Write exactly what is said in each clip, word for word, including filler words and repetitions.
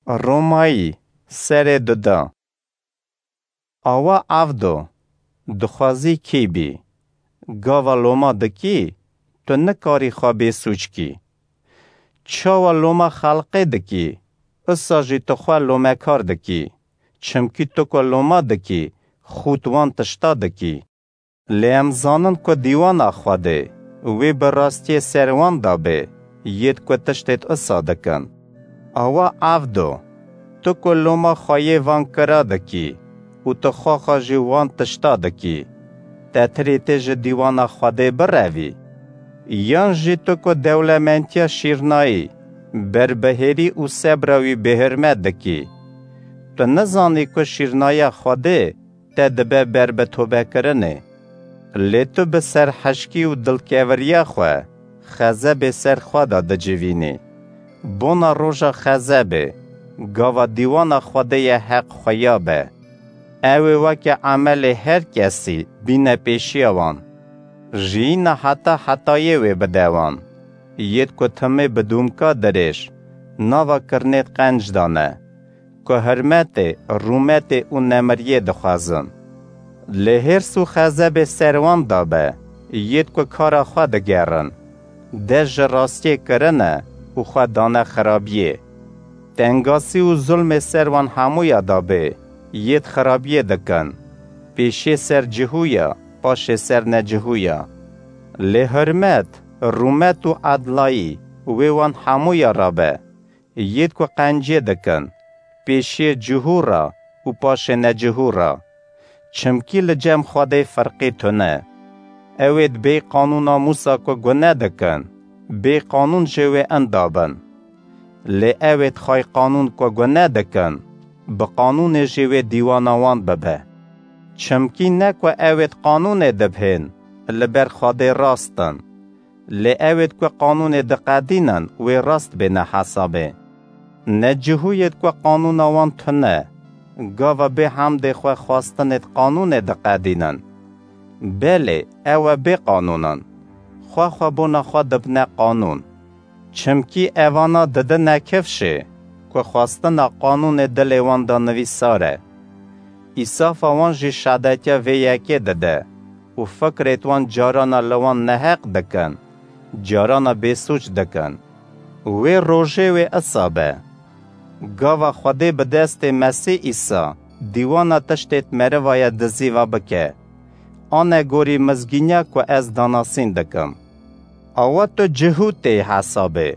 Romayî, serê duda. Awa evdo, dixwazî kî bî? Gava loma dikî, tu nikarî xwe bêsûc kî. Çawa loma xelqê dikî, usa jî tu xwe lomekar dikî. Çimkî tu ku loma dikî, xût wan tişta dikî. Lê em zanin ku dîwana Xwedê, wê bi rastiyê ser wan da bê, yêd ku tiştêd usa dikin. Awa evdo, tu ku loma xweyê van kira dikî û tu xwexa jî wan tişta dikî, te tirê tê ji dîwana Xwedê birevî? Yan jî tu ku dewlementiya şîrnayî, berbihêrî û sebra wî bêhurmet dikî? Tu nizanî ku şîrnaya Xwedê te dibe ber bi tobekirinê. Lê tu bi serhişkî û dilkeviriya xwe xezebê ser xwe de dicivînî. Bona roja xezebê, gava dîwana Xwedê ye heq xuya be. Ew ê weke emelê her kesî bîne pêşiya wan. Jiyîna heta hetayê wê bide wan. Yêd ku timê bi dûmka dirêj, nava kirinê qenc dane. Ku hurmetê, rûmetê û nemiriyê dixwazin. Lê hêrs û xezebê ser wan da be, yêd ku kara xwe digerin. Dest ji rastiyê kirine û xwe dane xirabiyê. Tengasî û zulmê ser wan hemûya da bê, yêd xirabiyê dikin. Pêşê ser cihûya, paşê ser necihûya. Lê hurmet, rûmet û edlayî wê wan hemûya ra be. Yêd ku qencê dikin, pêşiyê cihû re û paşê necihû re. Çimkî li cem Xwedê firqî tune. Ew êd bê qanûna Mûsa ku gune dikin, bê qanûn jê wê inda bin. Lê ew êd xay qanûn ku gune dikin, bi qanûnê jê wê dîwana wan bibe. Çimkî ne ku ew êd qanûnê dibhên, li ber Xwedê rast in. Lê ewêd ku qanûnê diqedînin, wê rast bêne hesabê. Ne cihûyêd ku qanûna wan tune, gava bê hemdê xwe xwestinêd qanûnê diqedînin. Belê, ew e bê qanûn in. Xwe xwe bona xwe dibine qanûn. Çimkî evana didine kifşê, ku xwestina qanûnê dilê wan de nivîsar e. Îsafa wan jî şadetiya vê yekê dide û fikrêd wan carana li wan neheq dikin, carana bêsûc dikin. Wê rojê wê isa be. Gava Xwedê bi destê Mesîh Îsa dîwana tiştêd merivaye dizîva bike. Ane gorî mizgîniya ku ez danasîn dikim. Awa tu cihû tê hesabê.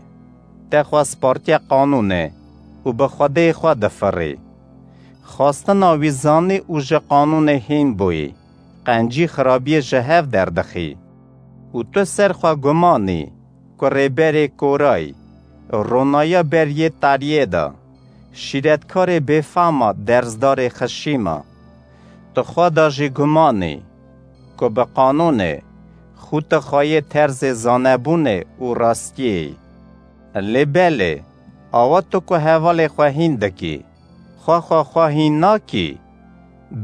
Te xwe spartiye qanûnê û bi Xwedê xwe difirî. Xwestina wî zanî û ji qanûnê hîn bûyî, qencî xirabiyê ji hev derdixî. Û tu ser xwe gumanî ku rêberê korayî, ronaya ber yê tariyê de, şîretkarê bêfama derzdarê xişîma. Tu xwe de jî gumanî ku bi qanûnê xû tu xweyê terzê zanebûnê û rastiyê yî. Lê belê, awa tu ku hevalê xwe hîn dikî, xwe xwe xwe hîn nakî,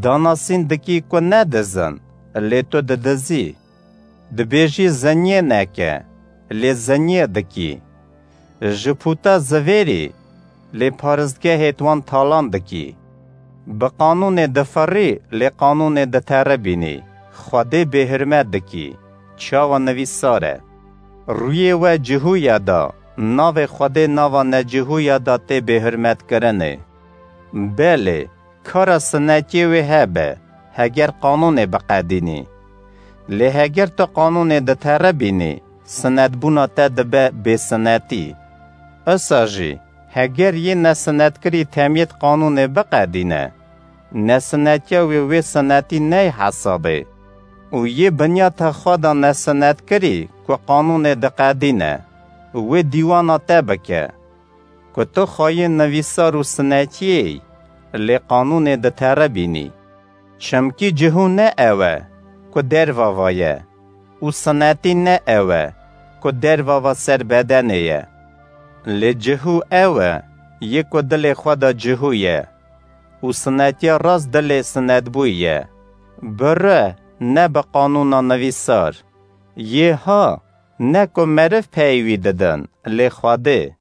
danasîn dikî ku ne diz in, lê tu didizî. Dibêjî zinyê neke, lê zinyê dikî. Ji pûta zivêrî, lê paristgehêd wan talan dikî. Bi qanûnê difirî, lê qanûnê diteribînî. Xwedê bêhurmet dikî. Çawa nivîsar e? Rûyê we cihûya da, navê Xwedê nava necihûya da tê bêhurmetkirinê. Belê, kara sinetiyê wê hebe, heger qanûnê biqedînî. Lê heger tu qanûnê diteribînî, sinetbûna te dibe bêsinetî. Isa jî, heger yê nesinetkirî temiyêd qanûnê biqedîne, nesinetiya wê wê sinetî ney hesabê. Û yê binyata xwe de nesinetkirî ku qanûnê diqedîne, wê dîwana te bike. Ku tu xweyê nivîsar û sinetiyê yî, lê qanûnê diteribînî. Çimkî cihû ne ew e ku derva va ye û sinetî ne ew e ku derva va ser bedenê ye. Lê cihû ew e yê ku dilê xwe de cihû ye û sinetiya rast dilê sinetbûyî ye. Bi rû, ne bi qanûna nivîsar. Yê ha, ne ku meriv peyvî didin, lê Xwedê.